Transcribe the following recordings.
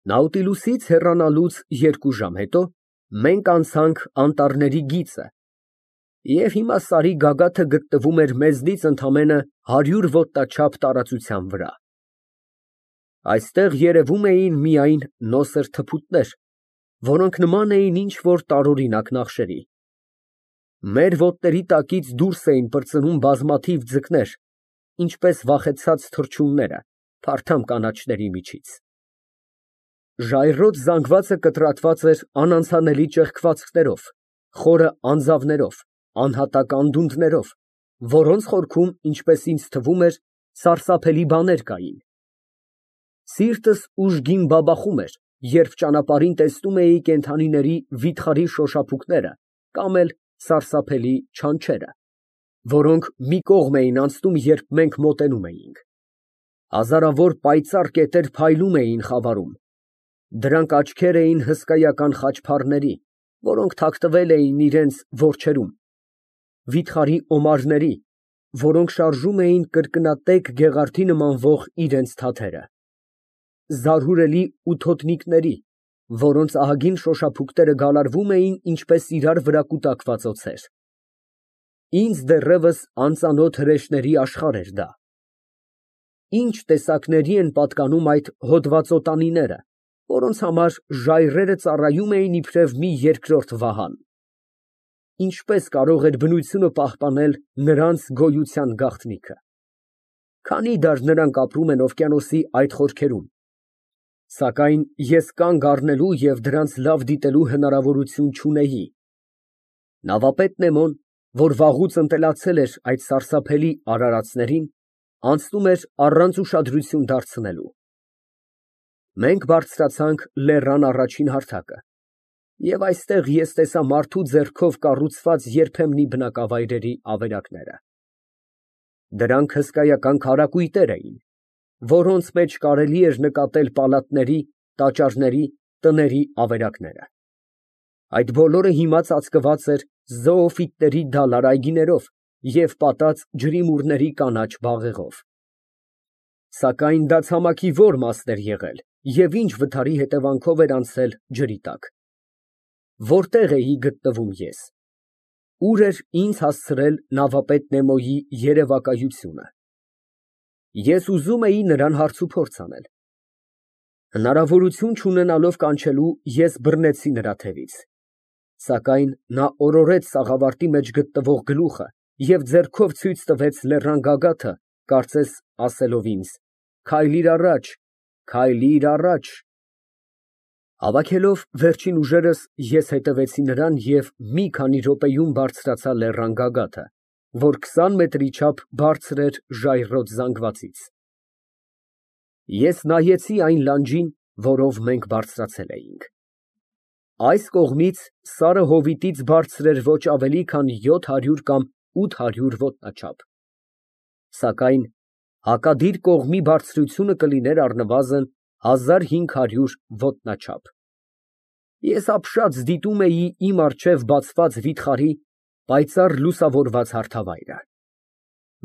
Նաուտիլուսից հեռանալուց 2 ժամ հետո մենք անցանք անտառների գիծը, և հիմա Սարի գագաթը գտնվում էր մեզնից ընդամենը 100 ոտնաչափ տարածության վրա։ Այստեղ երևում էին միայն նոսր թփուտներ, որոնք նման էին ինչ֊որ տարօրինակ նախշերի։ Մեր ոտների տակից դուրս էին պրծնում բազմաթիվ ձկներ, ինչպես վախեցած թռչունները փարթամ կանաչների միջից։ Ժայռոտ զանգվածը կտրատված էր անանցանելի ճեղքվածքներով, խորը անձավներով, անհատակ անդունդներով, որոնց խորքում, ինչպես ինձ թվում էր, սարսափելի բաներ կային։ Սիրտս ուժգին բաբախում էր, երբ ճանապարհին տեսնում էի կենդանիների վիթխարի շոշափուկները կամ էլ սարսափելի չանչերը, որոնք մի կողմ էին անցնում, երբ մենք մոտենում էինք։ Հազարավոր պայծառ կետեր փայլում էին խավարում։ Դրանք աչքեր էին հսկայական խաչփառների, որոնք թաքնվել էին իրենց որջերում, վիթխարի օմարների, որոնք շարժում էին կրկնատեք գեղարդի նմանվող իրենց թաթերը, զարհուրելի ութոտնիկների, որոնց ահագին շոշափուկները գալարվում էին ինչպես իրար վրա կուտակված օձեր։ Ինձ դեռևս անծանոթ հրեշների աշխարհ էր դա։ Ինչ տեսակների են պատկանում այդ հոդվածոտանիները, որոնց համար ժայռերը ծառայում էին իբրև մի երկրորդ վահան։ Ինչպես կարող էր բնությունը պահպանել նրանց գոյության գաղտնիքը։ Քանի դար նրանք ապրում են օվկիանոսի այդ խորքերում, սակայն ես կանգ առնելու և դրանց լավ դիտելու հնարավորություն չունեի։ Նավապետ Նեմոն, որ վաղուց ընտելացել էր այդ սարսափելի արարածներին, անցնում էր առանց ուշադրություն դարձնելու։ Մենք բարձրացանք լեռան առաջին հարթակը, և այստեղ ես տեսա մարդու ձեռքով կառուցված երբեմնի բնակավայրերի ավերակները։ Դրանք հսկայական քարակույտեր էին, որոնց մեջ կարելի էր նկատել պալատների, տաճարների, տների ավերակները։ Այդ բոլորը հիմա ծածկված էր զոոֆիտների դալար այգիներով և պատած ջրիմուռների կանաչ բաղեղով։ Սակայն դա ցամաքի ո՞ր մասն էր եղել և ինչ վթարի հետևանքով էր անցել ջրի տակ։ Որտե՞ղ էի գտնվում ես։ Ո՞ւր էր ինձ հասցրել նավապետ Նեմոյի երևակայությունը։ Ես ուզում էի նրան հարցուփորձ անել։ Հնարավորություն չունենալով կանչելու, ես բռնեցի նրա թևից։ Սակայն նա օրորեց սաղավարտի մեջ գտնվող գլուխը և ձեռքով ցույց տվեց լեռան գագաթը, կարծես ասելով ինձ. «Քայլիր առաջ, քայլիր առաջ»։ Հավաքելով վերջին ուժերս, ես հետևեցի նրան և մի քանի րոպեում բարձրացա լեռան գագաթը, որ 20 մետրի չափ բարձր էր ժայռոտ զանգվածից։ Ես նայեցի այն լանջին, որով մենք բարձրացել էինք։ Այս կողմից սարը հովիտից բարձր էր ոչ ավելի քան 700 կամ 800 ոտնաչափ, սակայն հակադիր կողմի բարձրությունը կլիներ առնվազն 1500 ոտնաչափ։ Ես ապշած դիտում էի իմ առջև բացված վիթխարի, պայծառ լուսավորված հարթավայրը։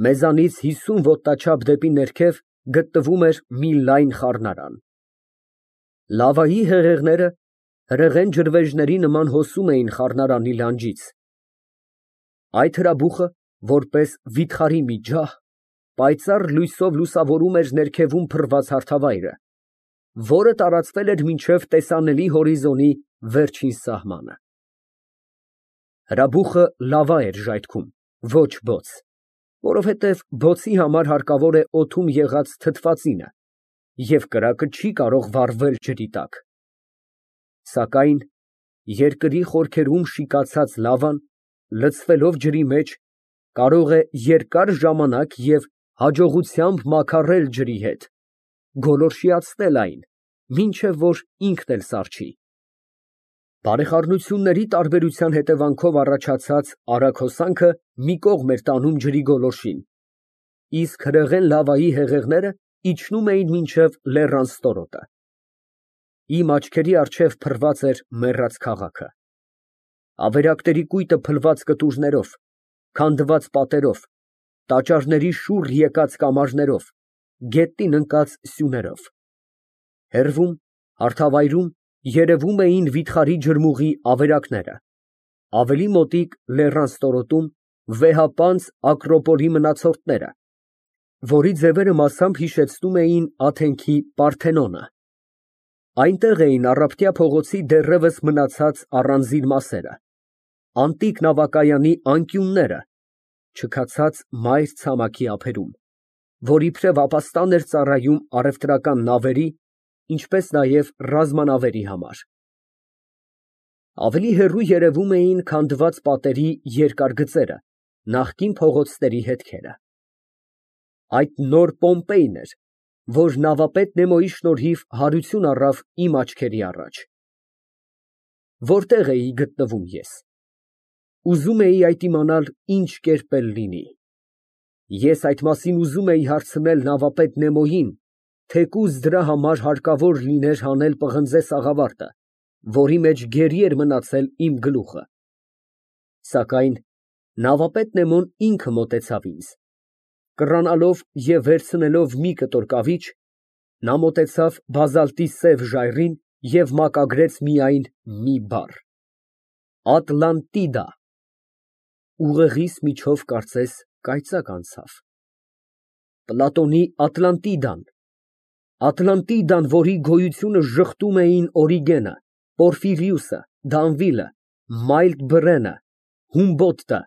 Մեզանից 50 ոտնաչափ դեպի ներքև գտնվում էր մի լայն խառնարան։ Լավայի հեղեղները հրեղեն ջրվեժների նման հոսում էին խառնարանի լանջից։ Այդ հրաբուխը, որպես վիթխարի մի ջահ, պայծառ լույսով լուսավորում էր ներքևում փռված հարթավայրը, որը տարածվել էր մինչև տեսանելի հորիզոնի վերջին սահմանը։ Հրաբուխը լավա էր ժայթքում, ոչ բոց, որովհետև բոցի համար հարկավոր է օդում եղած թթվածինը, և կրակը չի կարող վառվել ջրի տակ։ Սակայն երկրի խորքերում շիկացած լավան, լցվելով ջրի մեջ, կարող է երկար ժամանակ և հաջողությամբ մաքարել ջրի հետ, գոլորշիացնել այն, մինչև որ ինքն էլ սառչի։ Բարեխառնությունների տարբերության հետևանքով առաջացած արագ հոսանքը մի կողմ էր տանում ջրի գոլորշին, իսկ հրեղեն լավայի հեղեղները իջնում էին մինչև լեռան ստորոտը։ Իմ աչքերի առջև փռված էր մեռած քաղաքը։ Ավերակների կույտը փլված կտուրներով, քանդված պատերով, տաճարների շուռ եկած կամարներով, գետնին ընկած սյուներով։ Հեռվում Հարթավայրում երևում էին վիթխարի ջրմուղի ավերակները, ավելի մոտիկ լեռան ստորոտում վեհապանծ Ակրոպոլի մնացորդները, որի ձևերը մասամբ հիշեցնում էին Աթենքի Պարթենոնը։ Այնտեղ էին Առափտյա փողոցի դեռևս մնացած առանձին մասերը, անտիկ նավակայանի անկյունները, չքացած մայր ցամաքի ափերում, որ իբրև ապաստան էր ծառայում առևտրական նավերի, ինչպես նաև ռազմանավերի համար։ Ավելի հեռու երևում էին քանդված պատերի երկար գծերը, նախկին փողոցների հետքերը։ Այդ նոր Պոմպեյն էր, որ նավապետ Նեմոյի շնորհիվ հարություն առավ իմ աչքերի առաջ։ Որտեղ էի գտնվում ես։ Ուզում էի այդ իմանալ ինչ կերպ էլ լինի։ Ես այդ մասին ուզում էի հարցնել նավապետ Նեմոյին, թեկուզ դրա համար հարկավոր լիներ հանել պղնձե սաղավարտը, որի մեջ գերի էր մնացել իմ գլուխը։ Սակայն նավապետ Նեմոն ինքը մոտեցավ ինձ։ Կռանալով և վերցնելով մի կտոր կավիճ, նա մոտեցավ բազալտի սև ժայռին և մակագրեց միայն մի բառ. Ատլանտիդա։ Ուղեղիս միջով կարծես կայծակ անցավ։ Պլատոնի Ատլանտիդան, Ատլանտիդան, որի գոյությունը ժխտում էին Օրիգենը, Պորֆիրիուսը, Դանվիլը, Մայլդ Բրենը, Հումբոդտը,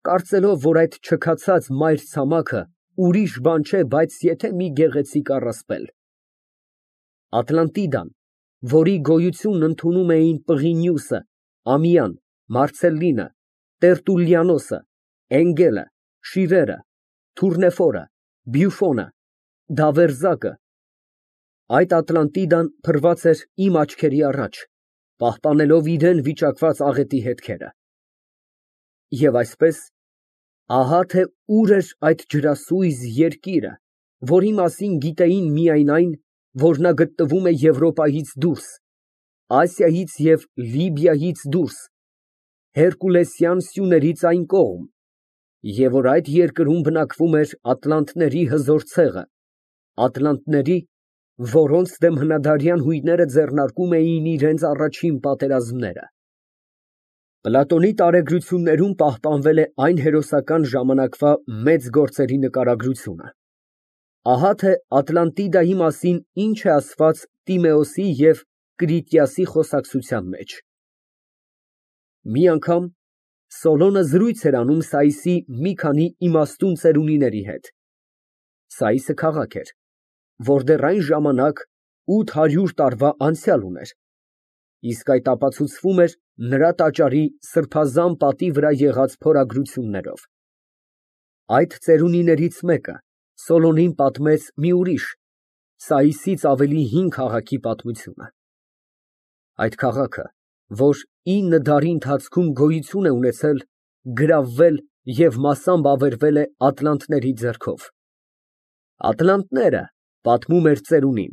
կարծելով, որ այդ չքացած մայր ցամաքը ուրիշ բան չէ, բայց եթե մի գեղեցիկ առասպել։ Ատլանտիդան, որի գոյությունն ընդունում էին Պղինիուսը, Ամիան, Մարցելլինը, Տերտուլլիանոսը, Էնգելը, Շիրերը, Թուրնեֆորը, Բյուֆոնը, Դավերզակը, այդ Ատլանտիդան փռված էր իմ աչքերի առաջ, պահպանելով իրեն վիճակված աղետի հետքերը։ Եվ այսպես, ահա թե ուր էր այդ ջրասույզ երկիրը, որի մասին գիտեին միայն այն, որ նա գտնվում է Եվրոպայից դուրս, Ասիայից և Լիբիայից դուրս, հերկուլեսյան սյուներից այն կողմ, և որ այդ երկրում բնակվում էր ատլանտների հզոր ցեղը, ատլանտների, որոնց դեմ հնադարյան հույները ձեռնարկում էին իրենց առաջին պատերազմները։ Պլատոնի տարեգրություններում պահպանվել է այն հերոսական ժամանակվա մեծ գործերի նկարագրությունը։ Ահա թե Ատլանտիդայի մասին ինչ է ասված Տիմեոսի և Կրիտիասի խոսակցության մեջ։ Մի անգամ Սոլոնը զրույց էր անում Սայիսի մի քանի իմաստուն ծերունիների հետ։ Սայիսը քաղաք էր, որ դեռ այն ժամանակ 800 տարվա անցյալ ուներ, իսկ այդ ապացուցվում էր նրա տաճարի սրբազան պատի վրա եղած փորագրություններով։ Այդ ծերունիներից մեկը Սոլոնին պատմեց մի ուրիշ, Սայիսից ավելի հին քաղաքի պատմությունը։ Այդ քաղաքը, որ 9 դարի ընթացքում գոյություն է ունեցել, գրավվել և մասամբ ավերվել է ատլանտների ձեռքով։ Ատլանտները, պատմում էր ծերունին,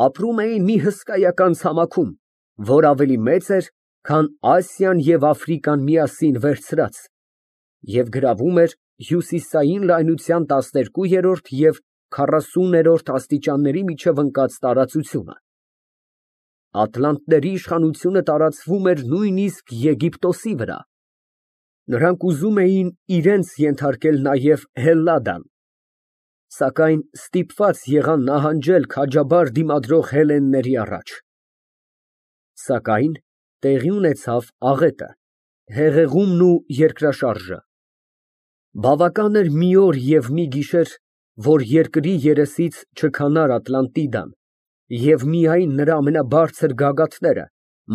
ապրում էին մի հսկայական ցամաքում, որ ավելի մեծ էր, քան Ասիան և Աֆրիկան միասին վերցրած, և գրավում էր հյուսիսային լայնության 12-րդ և 40-րդ աստիճանների միջև ընկած տարածությունը։ Ատլանտների իշխանությունը տարածվում էր նույնիսկ Եգիպտոսի վրա։ Նրանք ուզում էին իրենց ենթարկել նաև Հելլադան, սակայն ստիպված եղան նահանջել քաջաբար դիմադրող հելլենների առաջ։ Սակայն տեղի ունեցավ աղետը, հեղեղումն ու երկրաշարժը։ Բավական էր մի օր և մի գիշեր, որ երկրի երեսից չքանար Ատլանտիդան, և միայն նրա ամենաբարձր գագաթները՝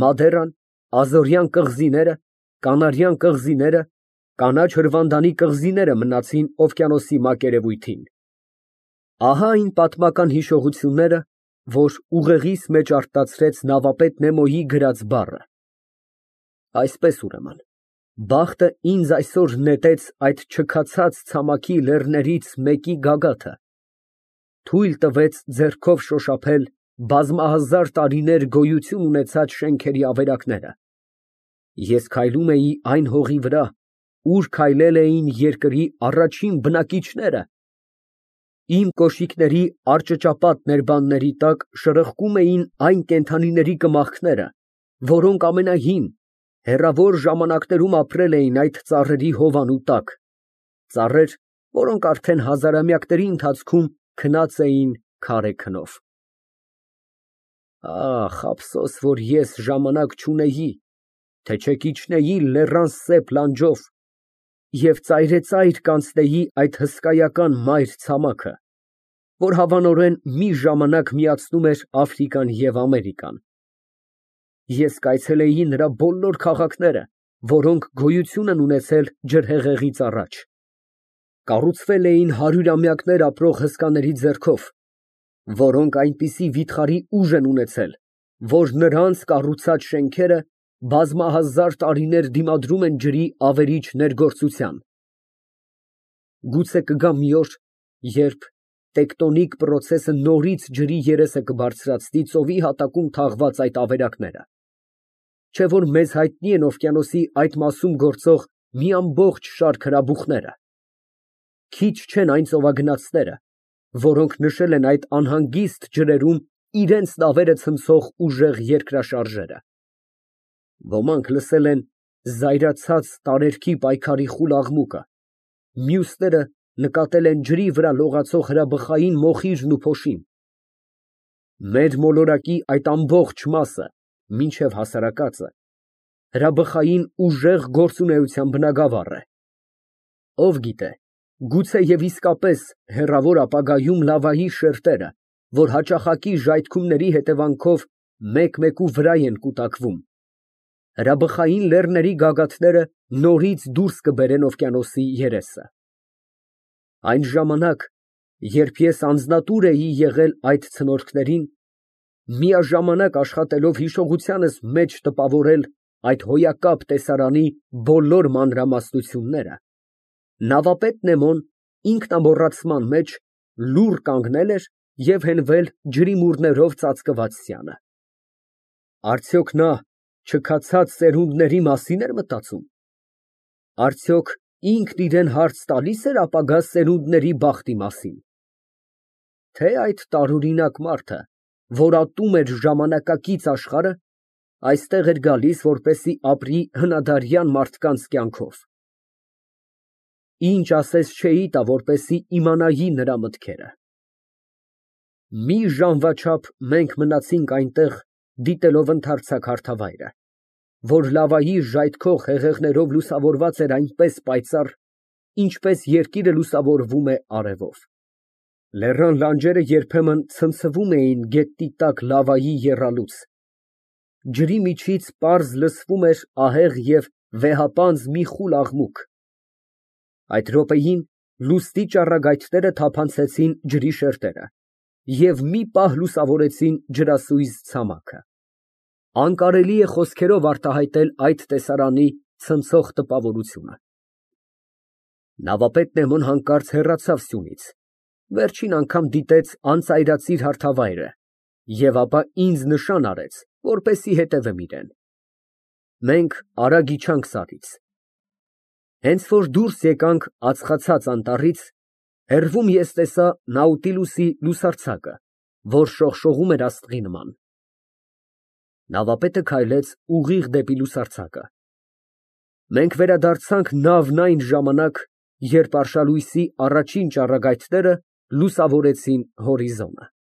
Մադերան, Ազորյան կղզիները, Կանարյան կղզիները, կանաչ հրվանդանի կղզիները մնացին օվկիանոսի մակերևույթին։ Ահա այն պատմական հիշողությունները, որ ուղեղիս մեջ արտացրեց նավապետ Նեմոյի գրած բառը։ Այսպես ուրեմն, բախտը ինձ այսօր նետեց այդ չքացած ցամաքի լեռներից մեկի գագաթը, թույլ տվեց ձեռքով շոշափել բազմահազար տարիներ գոյություն ունեցած շենքերի ավերակները։ Ես քայլում էի այն հողի վրա, ուր քայլել էին երկրի առաջին բնակիչները, Իմ կոշիկների արճճապատ ներբանների տակ շրխկում էին այն կենդանիների կմախքները, որոնք ամենահին, հեռավոր ժամանակներում ապրել էին այդ ծառերի հովանու տակ, ծառեր, որոնք արդեն հազարամյակների ընթացքում քնած էին քարե քնով։ Ահ, ափսոս, որ ես ժամանակ չունեի, թե չէ կիջնեի լեռան սեպ լանջով և ծայրեծայր կանցնեի այդ հսկայական մայր ցամաքը, որ հավանորեն մի ժամանակ միացնում էր Աֆրիկան և Ամերիկան։ Ես կայցելեի նրա բոլոր քաղաքները, որոնք գոյություն են ունեցել ջրհեղեղից առաջ, կառուցվել էին հարյուրամյակներ ապրող հսկաների ձեռքով, որոնք այնպիսի վիթխարի ուժ են ունեցել, որ նրանց կառուցած շենքերը բազմահազար տարիներ դիմադրում են ջրի ավերիչ ներգործության։ Գուցե կգա մի օր, երբ տեկտոնիկ պրոցեսը նորից ջրի երեսը կբարձրացնի ծովի հատակում թաղված այդ ավերակները, չէ՞ որ մեզ հայտնի են օվկիանոսի այդ մասում գործող մի ամբողջ շարք հրաբուխները։ Քիչ չեն այն ծովագնացները, որոնք նշել են այդ անհանգիստ ջրերում իրենց նավերը ցնցող ուժեղ երկրաշարժերը։ Ոմանք լսել են զայրացած տարերքի պայքարի խուլ աղմուկը, մյուսները նկատել են ջրի վրա լողացող հրաբխային մոխիրն ու փոշին։ Մեր մոլորակի այդ ամբողջ մասը, մինչև հասարակածը, հրաբխային ուժեղ գործունեության բնագավառ է։ Ով գիտե, գուցե և իսկապես հեռավոր ապագայում լավայի շերտերը, որ հաճախակի ժայթքումների հետևանքով մեկ֊մեկու վրա են կուտակվում, հրաբխային լեռների գագաթները նորից դուրս կբերեն օվկիանոսի երեսը։ Այն ժամանակ, երբ ես անձնատուր էի եղել այդ ցնորքներին, միաժամանակ աշխատելով հիշողությանս մեջ տպավորել այդ հոյակապ տեսարանի բոլոր մանրամասնությունները, նավապետ Նեմոն ինքնամոռացման մեջ լուռ կանգնել էր և հենվել ջրի մուրներով ծածկված սյանը։ Արդյոք նա չքացած սերունդների մասին էր մտածում։ Արդյոք ինքն իրան հարց տալի՞ս էր ապագա սերունդների բախտի մասին։ Թե՞ այդ տարօրինակ մարդը, որ ատում էր ժամանակակից աշխարհը, այստեղ էր գալիս, որպեսզի ապրի հնադարյան մարդկանց կյանքով։ Ինչ ասես չէի տա, որպեսզի իմանայի նրա մտքերը։ Մի ժամվա չափ մենք մնացինք այնտեղ, դիտելով ընդարձակ հարթավայրը, որ լավայի ժայթքող հեղեղներով լուսավորված էր այնպես պայծառ, ինչպես երկիրը լուսավորվում է արևով։ Լեռան լանջերը երբեմն ցնցվում էին գետնի տակ լավայի եռալուց։ Ջրի միջից պարզ լսվում էր ահեղ և վեհապանծ մի խուլ աղմուկ։ Այդ րոպեին լուսնի ճառագայթները թափանցեցին ջրի շերտերը և մի պահ լուսավորեցին ջրասույզ ցամաքը։ Անկարելի է խոսքերով արտահայտել այդ տեսարանի ցնցող տպավորությունը։ Նավապետ Նեմոն հանկարծ հեռացավ սյունից, վերջին անգամ դիտեց անծայրածիր հարթավայրը և ապա ինձ նշան արեց, որպեսզի հետևեմ իրան։ Մենք արագ իջանք սարից։ Հենց որ դուրս եկանք ածխացած անտառից, հեռվում ես տեսա Նաուտիլուսի լուսարձակը, որ շողշողում էր աստղի նման։ Նավապետը քայլեց ուղիղ դեպի լուսարձակը։ Մենք վերադարձանք նավն այն ժամանակ, երբ արշալույսի առաջին ճառագայթները լուսավորեցին հորիզոնը։